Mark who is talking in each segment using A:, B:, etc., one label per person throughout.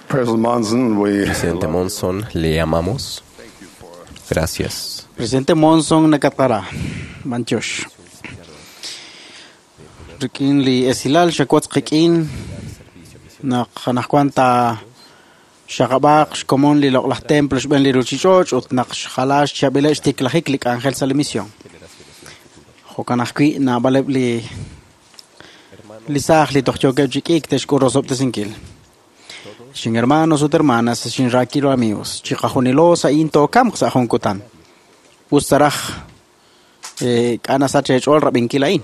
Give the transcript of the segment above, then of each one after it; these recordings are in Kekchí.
A: President Monson, we
B: Presidente Monson, le amamos. Gracias.
C: Presidente Monson nakatqara manchox rik'in li esilal xakwotz qik'in naq anaqwan ta xaqab'aq xkomon li loq'laj templo xb'een li ruchich'och' ut naq xjala xchab'ileb' xtiklajik li k'anjel sa' li misión. Jo'kan ajwi' naab'aleb' li li saaj li toj yookeb' chi k'iik te'xk'ul rosob'tesinkil. Xin hermanos ut hermanas, xin raakilo amigos, chiqajunilo sa'in tookamq sa' jun kutan. Us taraj k'a' nasach eech'ool rab'inkil a'in.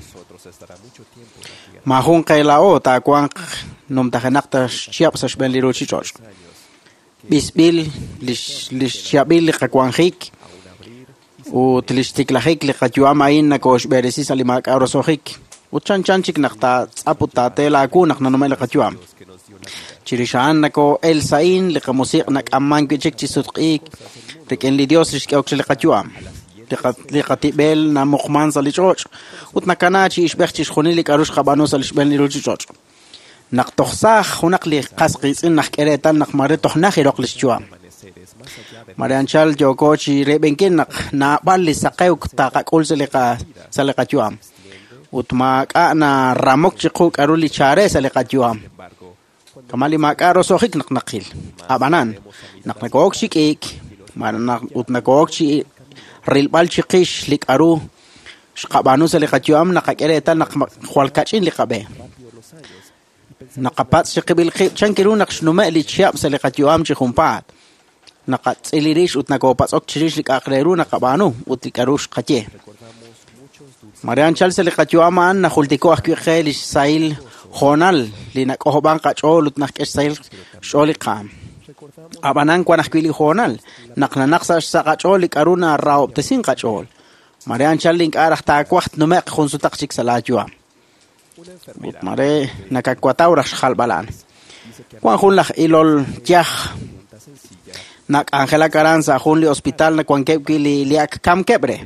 C: Maajun qe laa'o taawanq numtajenaq ta xchihab' sa' xb'een li ruchich'och'. B'isb'il lix lix chihab'il li qawanjik ut lix tiklajik li qayu'am a'in nakooxb'eresi sa' li maak'a' roso'jik. Ut chanchan chik naq taatz'ap ut taate laawu naq nanume' li qayu'am. Chirix a'an nakoo'el sa'in li qamusiq' nak'amman wi' chik chi sutq'iik rik'in li Dios li xk'ehok re li qayu'am. Li qa- li qatib'el namuqman sa' li ch'och' ut nakana chi ixb'ej chixjunil li k'a'ru xqab'aanu sa' li xb'een li ruchich'och'. Naq toj saaj junaq li qas qiitz'in najk'e reetal naq mare toj najiroq li xyu'am. Mare anchal yooko chi reeb'enkil naq naab'al li saqewk taqak'ul sa' li qa sa' li qayu'am. Ut maak'a' naramok chiqu k'a'ru li chare sa' li qayu'am. Kama' li maak'a' roso'jik naq naqil. Ab'anan, naq nakook chi k'iik, ma- naq- ut nakook chi rilb'al chiqix li k'a'ru xqab'aanu sa' li qayu'am naqak'e reetal naq ma- jwal kach'in li qab'e. Naqapatz' chiqib'il qib' chan kiru naq xnume' li chihab' sa' li qayu'am chi junpaat. Naqatz'il rix ut nakopatz'ok chirix li k'a'aq re ru naqab'aanu ut li k'a'ru xqaye. Mare anchal sa' li qayu'am a'an najultiko ajwi' qe li xsahil hoonal li nak'ojob'an qach'ool ut najk'e xsahil xch'ool li qaam. Ab'anan wan ajwi' li hoonal naq nanaq sa' xsa' qach'ool li k'a'ru narahob'tesin qach'ool. Mare anchal ink'a' raj taawaj tnume'q jun sutaq chik sa' laayu'am. Ut mare nakakwataw raj xjalb'al a'an. Wan jun laj ilol yaj nak'anjelak aran sa' jun li hospital nawankeb' wi' li li ak kamkeb' re.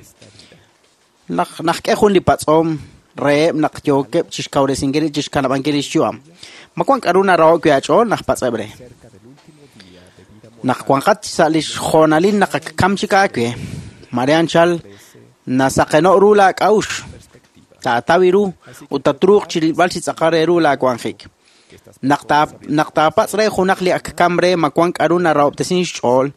C: Naq najk'e jun li patz'om reheb' naq yookeb' chixkawresinkil rib' chixkanab'ankil li xyu'am. Ma wan k'a'ru naraho'k wi' aach'ool naj patz'eb' re. Naq wanqat sa' li xjoonalil naq ak kam chik aawe, mare anchal nasaqeno' ru laak'a'uxl, taataw ru ut tatruuq chi rilb'al chi tz'aqal re ru laawanjik. Naq taa naq taapatz' re junaq li ak kam re ma wan k'a'ru narahob'tesin xch'ool,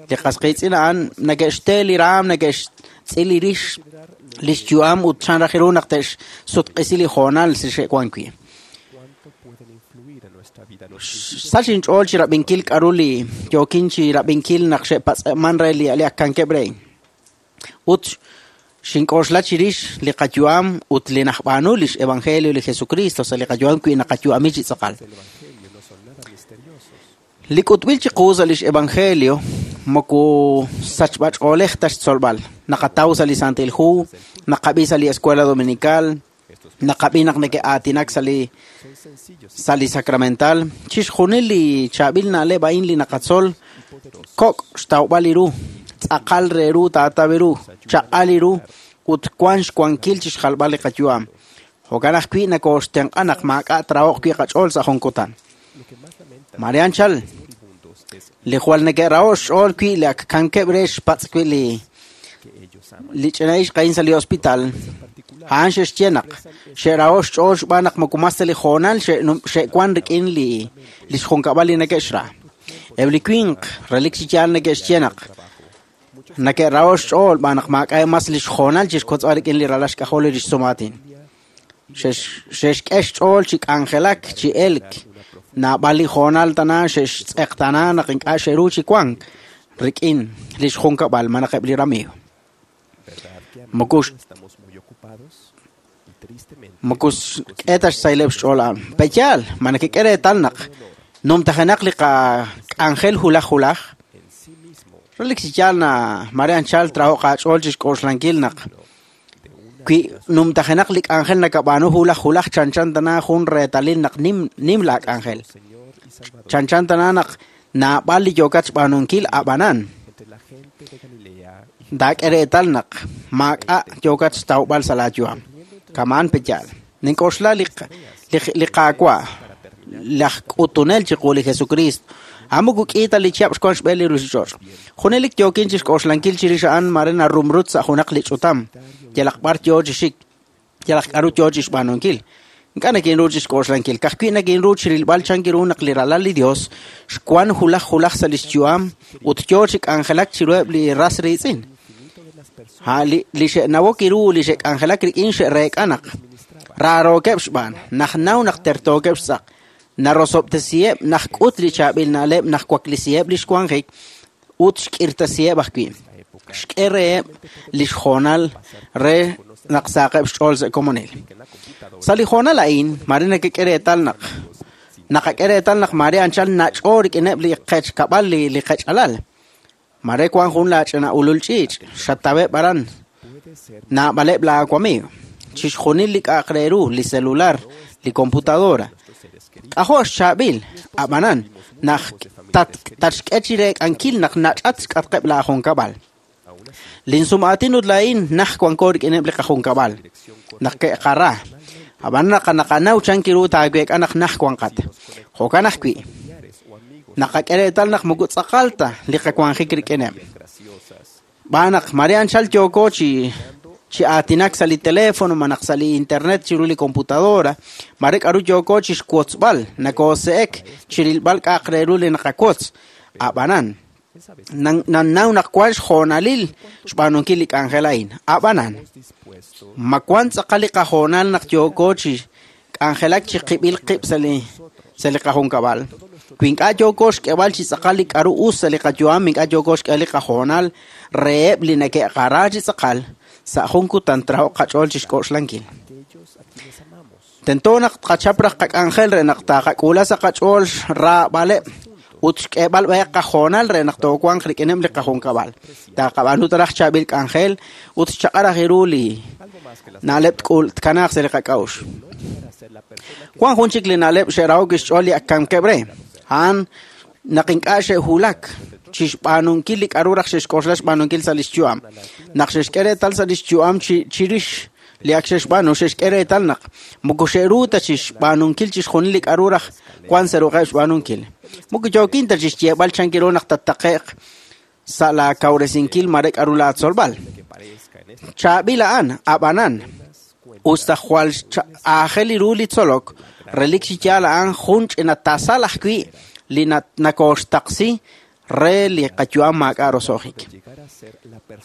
C: li qas qiitz'in a'an neke'xte li raam, neke'xtz'il li rix li xyu'am ut chan raj ru naq te'xsutq'isi li hoonal li xe'wan wi'. Sach inch'ool chi rab'inkil k'a'ru li yookin chi rab'inkil naq xe'patz'eman re li li ak kankeb' re. Ut xink'oxla chirix li qayu'am ut li najb'aanu lix evangelio li Jesucristo sa' li qayu'am wi' naqayu'ami chi tz'aqal. Li k'utb'il chiqu sa' lix evangelio moko sachb'ach'oolej ta xtzolb'al. Naqataw sa' li Santil Hu, naqab'i sa' li Escuela Dominical, naqab'i naq neke'aatinak sa' li sa' li sacramental. Chixjunil li chaab'il na'leb' a'in li naqatzol kok' xtawb'al li ru, tz'aqal re ru taataw ru, chaq'al li ru ut wan xwankil chixjalb'al li qayu'am. Jo'kan ajwi' nakooxtenq'a naq maak'a' traho'q wi' qach'ool sa' jun kutan. Mare anchal, li jwal neke'raho' xch'ool wi' li ak kankeb' re xpatz' wi' li li ch'ina ixq a'in sa' li hospital, a'an xe'xye naq xe'raho' xch'ool xb'aan naq moko mas ta li hoonal xe'num- xe'wan rik'in li lix junkab'al li neke'xra. Eb' li winq relik chi yaal neke'xye naq neke'raho' xch'ool xb'aan naq maak'a' mas lix hoonal chixkotz'b'al rik'in li ralal xk'ajol li xsumaatin. Xe'x- xe'xk'e xch'ool chi k'anjelak, chi elk. Naab'al li hoonal tana xe'xtz'eqtana naq ink'a' xe'ru chi wank rik'in lix junkab'al malaj eb' li ramiiw. Moko moko xk'e ta xsahileb' xch'ool a'an. Peyaal, ma nekek'e reetal naq numtajenaq li qak'anjel hulaj hulaj, relik chi yaal na mare anchal traho'q aach'ool chixk'oxlankil naq wi numtajenaq li k'anjel nakab'aanu hulaj hulaj chanchan tana jun reetalil naq nim nim laak'anjel. Chanchan tana naq naab'al li yookat xb'aanunkil ab'anan. Taak'e reetal naq maak'a' yookat xtawb'al sa' laayu'am. Kamaan peyaal. Nink'oxla li li li Qaawa' laj k'utunel chiqu li Jesukriist. A'an moko k'i ta li chihab' xwank xb'een li ruuchich'och'. Junelik yookin chi xk'oxlankil chirix a'an mare narumrut sa' junaq li ch'utam, yalaq b'ar yo chi xik, yalaq k'aru yo chi xb'aanunkil. Ink'a' nikinru chi xk'oxlankil, ka'ajwi' nikinru chi rilb'al chan ru naq li Ralal li Dios xwank wulaj wulaj sa' li xyu'am ut yo chi k'anjelak chiruheb' li ras riitz'in. Li xe'nawok ru li xe'k'anjelak rik'in xe'reek'a naq raarookeb' xb'aan, naj naw naq tertookeb' xtz'aq, narosob'tesiheb' najk'ut li chaab'il na'leb' najwaklisiheb' li xwanjik ut xk'irtasiheb' ajwi'. Xk'e reheb' li xhoonal re naq saqeb' xch'ool sa' komonil. Sa' li hoonal a'in, mare nakak'e reetal naq naqak'e reetal naq mare anchal nach'o rik'ineb' li qechkab'al li qech'alal. Mare wank jun laach'ina ulul ch'iich', xataweb' aran, naab'aleb' laawamiiw. Chixjunil li k'a'aq re ru, li celular, li computadora. K'ajo' xchaab'il, ab'anan, naq tatxk'e chi reek'ankil naq nach'at xk'atqeb' laajunkab'al. Linsum'aatin ut laa'in naj wanko rik'ineb' li qajunkab'al, naq ke'qara. Ab'an naq naqanaw chan ru taaweek'a naq naj wanqat. Jo'kan ajwi', naqak'e reetal naq moko tz'aqal ta li qawanjik rik'ineb'. B'aan naq mare anchal yooko chi aatinak sa' li teléfono malaj sa' li internet chiru li computadora, mare k'aru yooko chi xwotzb'al, nakoose'ek chi rilb'al k'a'aq re ru li naqawotz. Ab'anan, nannaw naq wank xhoonalil xb'aanunkil li k'anjel a'in. Ab'anan, ma wank tz'aqal li qahoonal naq yooko chi k'anjelak chi qib'il qib' sa' li qajunkab'al. Wi ink'a' yooko xk'eb'al chi tz'aqal li k'aru us sa' li qayu'am, ink'a' yooko xk'eb'al li qahoonal reheb' li neke'qara chi tz'aqal, sa' jun kutan trahoq qach'ool chi xk'oxlankil. Tento naq tqachap raj qak'anjel re naq taqak'uula sa' qach'ool raab'aleb' ut xk'eb'al b'ayaq qahoonal re naq toowanq rik'ineb' li qajunkab'al. Taqab'aanu raj chaab'il k'anjel ut xchaq'al raj ru li na'leb' tkanaaq sa' li qak'a'uxl. Wank jun chik li na'leb' xe'rahok xch'ool li ak kamkeb' re, a'an naq ink'a' xe'wulak chi xb'aanunkil li k'aru raj xe'xk'oxla xb'aanunkil sa' li xyu'am. Naq xe'xk'e reetal sa' li xyu'am chirix li ak xe'xb'aanu, xe'xk'e reetal naq moko xe'ru ta chi xb'aanunkil chixjunil li k'aru raj wank sa' ruq'eb' xb'aanunkil. Moko yookin ta chi xyeeb'al chan ru naq tattaqe'q sa' laakawresinkil mare k'aru laatzolb'al. Chaab'il a'an, ab'anan, us ta jwal aajel ru li tzolok, relik chi yaal a'an jun ch'ina tasal ajwi' li nakooxtaqsi re li qayu'am maak'a' roso'jik.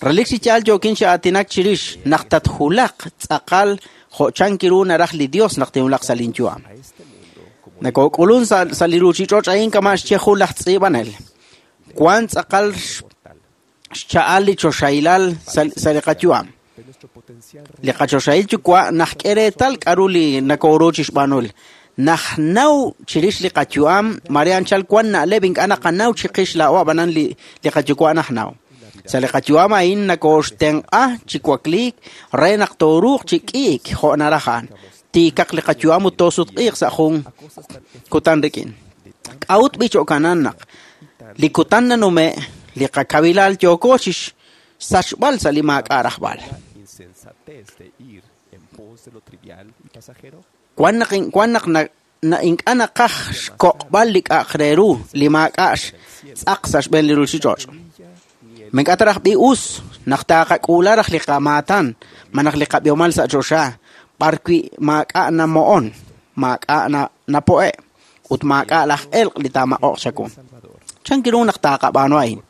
C: Relik chi yaal yookin chi aatinak chirix naq tatwulaq tz'aqal jo' chan ru naraj li Dios naq tinwulaq sa' linyu'am. Nakook'ulun sa' li ruuchich'och' a'in kama' xye jun laj tz'iib'anel. Wank tz'aqal xcha'al li choxahilal sa' li qayu'am. Li qachoxahil yuwa' najk'e reetal k'aru li nakooru chi xb'aanul. Najnaw chirix li qayu'am, mare anchal wank na'leb' ink'a' naqanaw chiqix laa'o ab'anan li qayuwa' najnaw. Sa' li qayu'am a'in nakooxtenq'a chi wakliik re naq tooruuq chi k'iik jo' naraj a'an. Tiikaq li qayu'am ut toosutq'iiq sa' jun kutan rik'in. K'a'ut b'i jo'kanan naq li kutan nanume' li qakawilal yooko chi xsachb'al sa' li maak'a' rajb'al. Wank naq ink'a' naqaj xkoq'b'al li k'a'aq re ru li maak'a' xtz'aq sa' xb'een li ruuchich'och'. Ma ink'a' ta raj b'i us naq taqak'uula raj li qamaatan malaj li qab'ihomal sa' choxa b'arwi' maak'a' namo'on, maak'a' napo'e' ut maak'a' laj elq' li taamaq'oq chawu. Chan ru naq taqab'aanu a'in?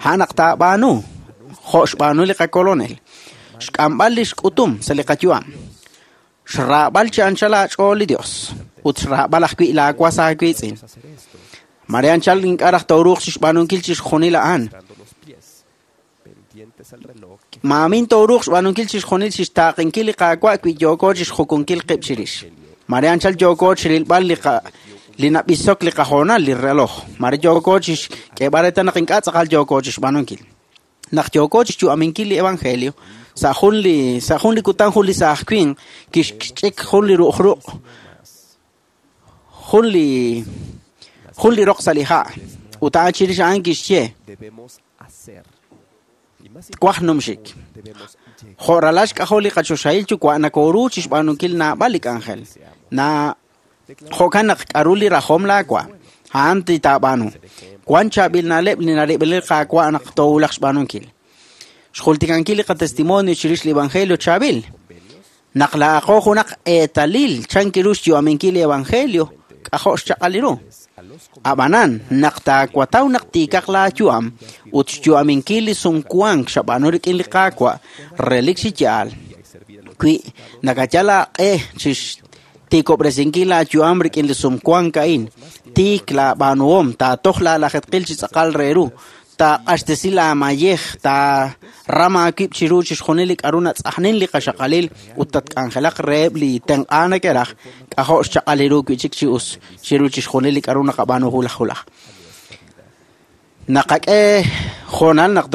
C: A'an naq taab'aanu jo' xb'aanu li qakolonel, xk'amb'al li xk'utum sa' li qayu'am, xraab'al chi anchal aach'ool li Dios ut xraab'al ajwi' laawas aawiitz'in. Mare anchal ink'a' raj tooruuq chi xb'aanunkil chixjunil a'an. Maamin tooruuq xb'aanunkil chixjunil chi xtaaqinkil li Qaawa' wi yooko chi xjukunkil qib' chirix. Mare anchal yooko chi rilb'al li nab'isok li qahoonal li reloj. Mare yooko chi xk'eeb'al reetal naq ink'a' tz'aqal yooko chi xb'aanunkil. Naq yooko chi xyu'aminkil li evangelio, sa' jun li kutan jun li saaj winq kixch'ik jun li ru'uj jun li roq sa' li ha' ut a'an chirix a'an kixye twaj numxik. Jo' ralal xk'ajol li qachoxahil yuwa' nakooru chi xb'aanunkil naab'al li k'anjel. Jo'kan naq k'aru li rajom laawa', a'an li taab'aanu. Wan chaab'il na'leb' li narib'il li Qaawa' naq toowulaq xb'aanunkil. Xjultikankil li qatestimonio chirix li evangelio chaab'il. Naq laa'aqo junaq eetalil chan kiru xyu'aminkil li evangelio, k'ajo' xchaq'al ru. Ab'anan, naq taawataw naq tiikaq laayu'am ut xyu'aminkil li sumwank xab'aanu rik'in li Qaawa', relik chi yaal. Wi nakayal aaq'e chi xtiikob'resinkil laayu'am rik'in li sumwank a'in, tiik laab'aanuhom, taatoj laalajetqil chi tz'aqal re ru, taaq'axtesi laamayej, taaram aawib' chiru chixjunil li k'aru natz'ajnin li qaxaqalil ut tatk'anjelaq reheb' li tenq'a neke'raj, k'ajo' xchaq'al ru wi'chik chi us chiru chixjunil li k'aru naqab'aanu wulaj wulaj. Naqak'e hoonal naq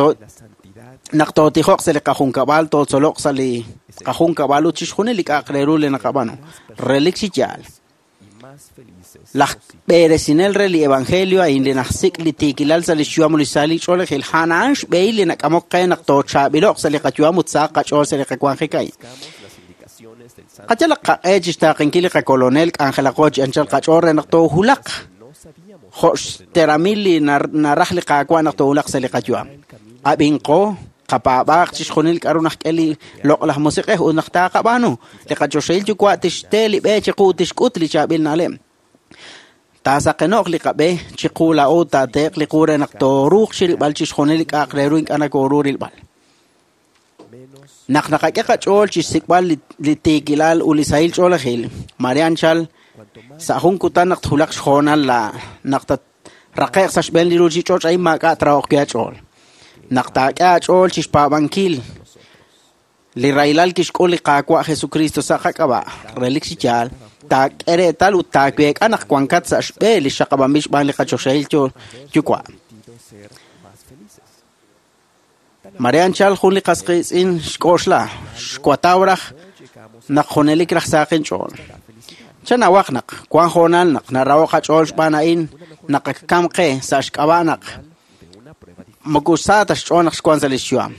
C: naq tootijoq sa' li qajunkab'al, tootzoloq sa' li qajunkab'al ut chixjunil li k'a'aq re ru li naqab'aanu. Relik chi yaal. Laj b'eresinel re li evangelio a'in li najsik' li tiikilal sa' li xyu'am ut li sahil ch'oolejil, a'an a'an xb'ehil li nak'amok qe naq toochaab'ilo'q sa' li qayu'am ut sahaq qach'ool sa' li qawanjik a'in. Qayalaq qaq'e chi xtaaqenkil li qakolonel k'anjelaqo chi anchal qach'ool re naq toohulaq jo' xteramil li naraj li Qaawa' naq toowulaq sa' li qayu'am. Ab'inqo, qapaab'aaq chixjunil k'aru najk'e li loq'laj musiq'ej ut naq taaqab'aanu, li qachoxahil yuwa' tixte li b'e chiqu ut tixk'ut li chaab'il na'leb'. Taasaqeno'q li qab'e chiqu laa'o taateeq li qu re naq tooruuq chirilb'al chixjunil li k'a'aq re ru ink'a' nakooru rilb'al. Naq naqak'e qach'ool chi xsik'b'al li tiikilal ut li sahil ch'oolejil, mare anchal sa' jun kutan naq twulaq xhoonal naq tatraqe'q sa' xb'een li ruuchich'och' a'in maak'a' trahoq wi' aach'ool. Naq taak'e aach'ool chi xpaab'ankil li rahilal kixk'ul li Qaawa' Jesucristo sa' qak'ab'a', relik chi yaal, taak'e reetal ut taaweek'a naq wankat sa' xb'e li xaqab'anb'il xb'aan li qachoxahil Yuwa'. Mare anchal jun li qas qiitz'in xk'oxla, xwataw raj naq junelik raj sahaq inch'ool. Chanawaq naq wan hoonal naq naraho' qach'ool xb'aan a'in naq ak kam qe sa' xk'ab'a' naq moko sa ta xch'ool naq xwank sa' li xyu'am.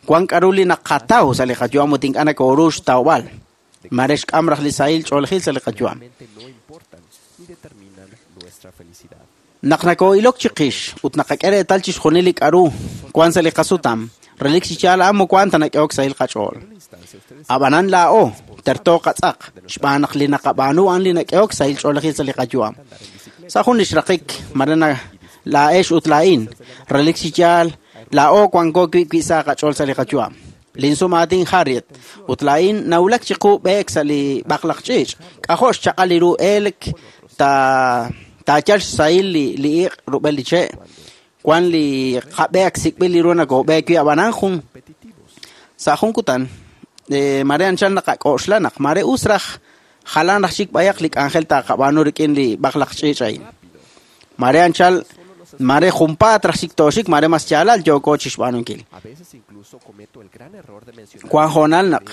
C: Wan k'aru li naqataw sa' li qayu'am ut ink'a' nakooru xtawb'al. Mare xk'am raj li sahil ch'oolejil sa' li qayu'am. Naq nakoo'ilok chiqix ut naqak'e reetal chixjunil li k'aru wan sa' li qasutam, relik chi yaal a'an moko a'an ta nak'ehok sahil qach'ool. Ab'anan laa'o terto qatz'aq xb'aan naq li naqab'aanu a'an li nak'ehok sahil ch'oolejil sa' li qayu'am. Sa' jun li xraqik, mare laa'ex ut laa'in, relik chi yaal laa'o wanko wi' wi' sa qach'ool sa' li qayu'am. Linsumaatin Harriet ut laa'in nawulak chiqu b'eek sa' li b'aqlaq ch'iich', k'ajo' xchaq'al li ru elk taayal xsahil li iq' rub'el li che'. Wan li qab'e ak sik'b'il li ru nakoob'eek wi' ab'anan jun sa' jun kutan mare anchal naqak'oxla naq mare us raj jalan raj chik b'ayaq li k'anjel taaqab'aanu rik'in li b'aqlaq ch'iich' a'in. Mare anchal mare junpaat raj chik tooxik mare mas yaalal yooko chi xb'aanunkil. Wan hoonal naq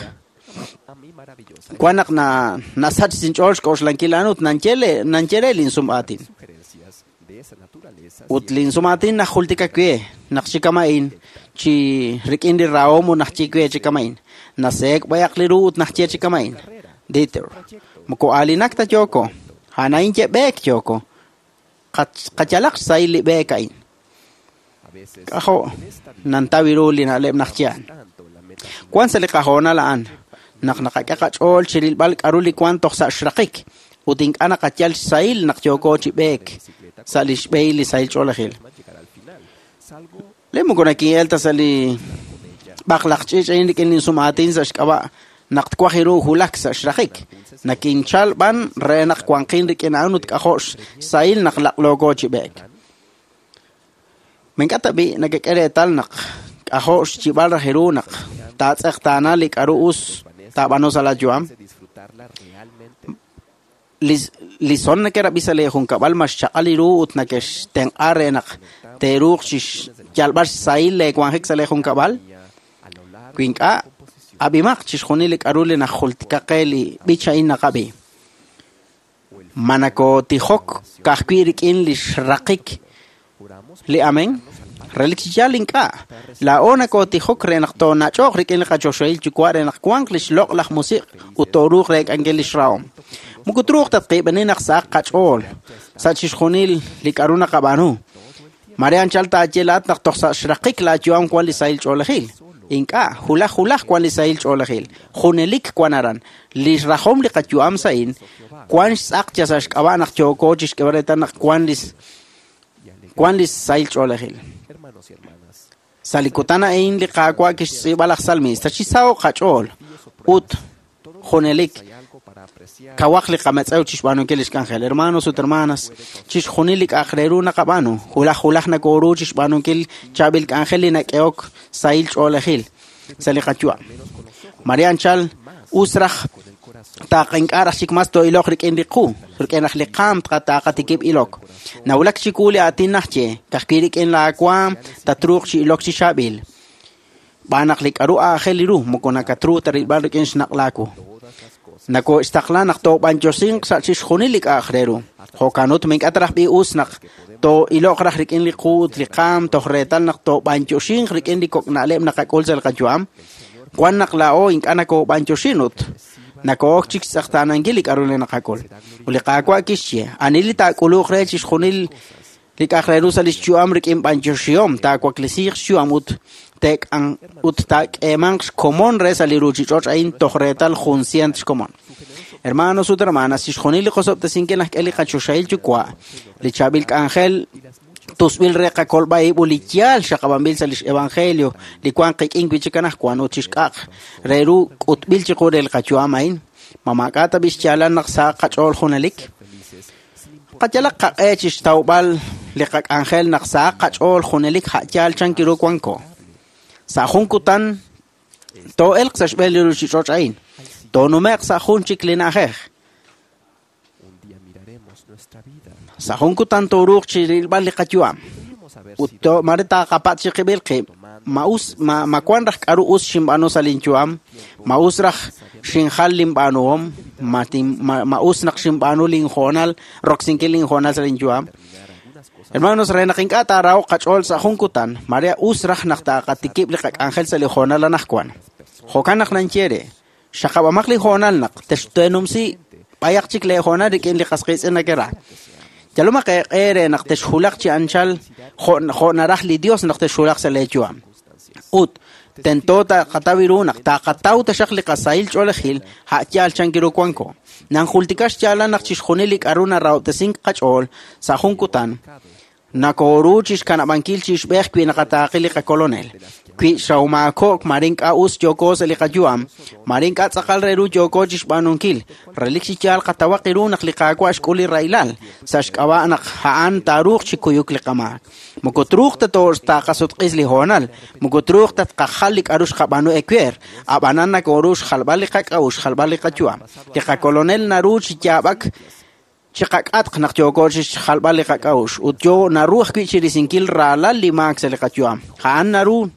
C: wan naq nasach inch'ool xk'oxlankil a'an ut nanye re linsum'aatin. Ut linsum'aatin najultika we naq chi kama'in chi rik'in li rahom ut najye we chi kama'in. Naseek b'ayaq li ru ut najye chi kama'in. Dieter, moko aalinak ta yooko, a'an a'in ye b'eek yooko. Qayalaq xsahil li b'eek a'in. K'ajo' nantaw ru li na'leb' najye a'an. Wan sa' li qahoonal a'an naq naqak'e qach'ool chi rilb'al k'aru li wan toj sa' xraqik ut ink'a' naqayal xsahil naq yooko chi b'eek sa' li xb'ehil li sahil ch'oolejil. Le moko nakin'el ta sa' li b'aqlaq ch'iich' a'in rik'in linsum'aatin sa' xk'ab'a' naq twaj ru wulak sa' xraqik. Nakinchal b'an re naq wanqin rik'in a'an ut k'ajo' xsahil naq laq'looko chi b'eek. Ma ink'a' ta b'i' nakak'e reetal naq k'ajo' xyib'al raj ru naq taatz'eqtaana li k'aru us taab'aanu sa' laayu'am. Li son neke'rab'i sa' li junkab'al ma xchaq'al li ru ut neke'xtenq'a re naq teeruuq chi xyalb'al xsahil leewanjik sa' li junkab'al. Wi ink'a', ab'imaq chixjunil li k'aru li najultika qe li b'ich a'in naqab'i. Ma nakootijok ka'ajwi' rik'in li xraqik li amen? Relik chi yaal ink'a'. Laa'o nakootijok re naq toonach'oq rik'in li qachoxahil yuwa' re naq wanq li xloq'laj musiq' ut tooruuq reek'ankil li xrahom. Moko truuq tatqiib'eni naq sahaq qach'ool sa' chixjunil li k'aru naqab'aanu. Mare anchal taaye laa'at naq toj sa' xraqik laayu'am wan li sahil ch'oolejil. Ink'a', hulaj hulaj wan li sahil ch'oolejil. Junelik wan aran. Li xrajom li qayu'am sa'in wan xtz'aq yal sa' xk'ab'a' naq yooko chi xk'eeb'al reetal naq wan li wan li sahil ch'oolejil.
B: Hermanos y hermanas,
C: Sa' li kutan a'in li Qaawa' kixtz'iib'a laj salmista chi saho'q qach'ool ut junelik
B: hay algo para apreciar
C: kawaq li qametz'ew chi xb'aanunkil li xk'anjel. Hermanos ut hermanas, chixjunil li k'a'aq re ru naqab'aanu, hulaj hulaj nakooru chi xb'aanunkil chaab'il k'anjel li nak'ehok sahil ch'oolejil sa' li qayu'am.
B: menos con los ojos,
C: Mare anchal us raj
B: con el corazón.
C: taaqink'a raj chik mas too'iloq rik'in li qu, rik'in raj li qaam taaqatikib' ilok. Nawulak chiwu li aatin najye, ka'ajwi' rik'in laawaam tatruuq chi ilok chi chaab'il. B'aan naq li k'aru aajel ru moko nakatru ta rilb'al rik'in xnaq' laawu.
B: Todas las cosas.
C: Nakoxtaqla naq toob'anyoxinq sa' chixjunil li k'a'aq re ru. Jo'kan ut mink'a ta raj b'i us naq too'iloq raj rik'in li qu ut li qaam toj reetal naq toob'anyoxinq rik'in li kok' na'leb' naqak'ul sa' li qayu'am. Wan naq laa'o ink'a' nakoob'anyoxin ut nakook chik xtz'eqtaanankil li k'aru li naqak'ul. Ut li Qaawa' kixye, ani li taak'uluq re chixjunil li k'a'aq re ru sa' lix yu'am rik'in b'anyoxihom, taawaklesiiq xyu'am ut teek'an ut taak'eemanq xkomon re sa' li ruuchich'och' a'in toj reetal jun sient xkomon. Hermanos ut hermanas, chixjunil li qosob'tesinkil najk'e li qachoxahil yuwa', li chaab'il k'anjel tusb'il re qakolb'a ib' ut li yaal xaqab'anb'il sa' lix evangelio li wan qik'in wi' chik anaqwan ut chixk'a'aq re ru k'utb'il chiqu re li qayu'am a'in. Ma maak'a' ta b'i xyaalal naq sahaq qach'ool junelik?
B: Felices, sin importar
C: Qayalaq qaq'e chi xtawb'al li qak'anjel naq sahaq qach'ool junelik ja'yaal chankiru wanko. Sa' jun kutan too'elq sa' xb'een li ruuchich'och' a'in. Toonume'q sa' jun chik li na'ajej.
B: un día miraremos nuestra vida.
C: Sa' jun kutan tooruuq chi rilb'al li qayu'am.
B: Podríamos haber
C: Ut
B: sido
C: to mare taaqapat chi qib'il qib'. Ma us ma, ma wan raj k'aru us xinb'aanu sa' linyu'am, ma us raj xinjal linb'aanuhom, ma, tin, ma, ma us naq xinb'aanu linhoonal, roksinkil linhoonal sa' linyu'am.
B: terminar algunas cosas
C: Hermanos, re naq ink'a' taarahoq qach'ool sa' jun kutan, mare us raj naq taaqatikib' li qak'anjel sa' li hoonal anaqwan. Jo'kan naq nanye re, xaqab'amaq li hoonal naq texteenumsi b'ayaq chik lee hoonal rik'in li qas qiitz'in nakera. Yalomaq eeq'e re naq texhulaq chi anchal jo' jo' naraj li Dios naq texhulaq sa' lee yu'am. Ut tento taqataw ru naq taqataw taxaq li qasahil ch'oolejil ja'yaal chankiru wanko. Nanjultika xyaalal naq chixjunil li k'aru narahob'tesink qach'ool sa' jun kutan nakooru chi xkanab'ankil chi ixb'ej wi naqataaqi li qakolonel. Wi xawmaako'k mare ink'a' us yooko sa' li qayu'am, mare ink'a' tz'aqal re ru yooko chi xb'aanunkil. Relik chi yaal qatawaq ru naq li Qaawa' xk'ul li rahilal, sa' xk'ab'a' naq a'an taaruuq chi kuyuk li qamaak. Moko truuq ta taqasutq'is li hoonal, moko truuq ta tqajal li k'aru xqab'aanu ewer, ab'anan nakooru xjalb'al li qak'a'uxl, xjalb'al li qayu'am. Li qakolonel naru chi yaab'ak chiqak'atq naq yooko chi xjalb'al li qak'a'uxl ut yo naru ajwi' chi risinkil raalal li maak sa' li qayu'am. A'an naru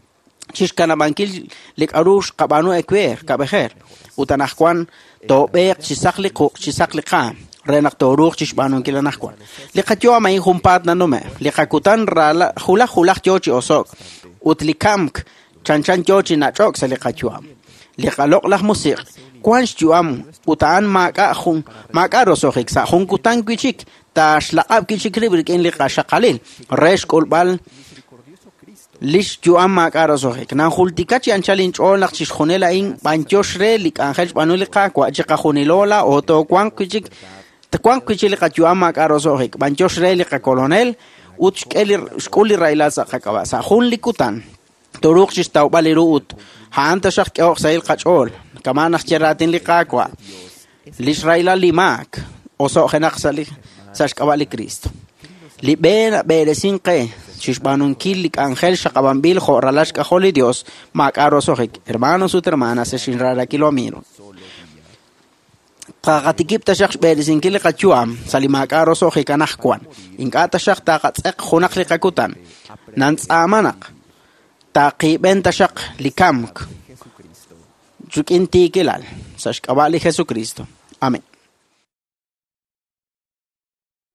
C: chi xkanab'ankil li k'aru xqab'aanu ewer, kab'ejer. Ut anaqwan toob'eeq chi saq li quq', chi saq li qaam, re naq tooruuq chi xb'aanunkil anaqwan. Li qayu'am a'in junpaat nanume', li qakutan raala hulaj hulaj yo chi oso'k ut li kamk chanchan yo chi nach'ok sa' li qayu'am. Li qaloq'laj musiq' wan xyu'am ut a'an maak'a' jun maak'a' roso'jik sa' jun kutan wi' chik taaxlaq'ab' wi' chik rib' rik'in li qaxaqalil re xk'ulb'al
B: misericordioso Cristo
C: lix yu'am maak'a' roso'jik. Nanjultika chi anchal inch'ool naq chixjunil a'in b'anyox re li k'anjel xb'aanu li Qaawa' chiqajunilo laa'o toowanq wi' chik twanq wi' chik li qayu'am maak'a' roso'jik. B'anyox re li qakolonel ut xk'e li xk'ul li rahilal sa' qak'ab'a'. Sa' jun li kutan tooruuq chi xtawb'al li ru ut a'an taxaq k'ehoq sahil qach'ool. Kama' naq ye raatin li Qaawa', lix rahilal li maak oso'jenaq sa' li sa' xk'ab'a' li Cristo. Li b'e nab'eresin qe chi xb'aanunkil li k'anjel xaqab'anb'il jo' ralal xk'ajol li Dios maak'a' roso'jik. Hermanos ut hermanas, ex inrarakil amigo.
B: solo día.
C: Taqatikib' taxaq xb'eresinkil li qayu'am sa' li maak'a' roso'jik anaqwan. Ink'a' taxaq taqatz'eq junaq li qakutan. Nantz'aama naq taqiib'en taxaq li kamk
B: Jesucristo.
C: rik'in tiikilal sa' xk'ab'a' li Jesucristo. Amén.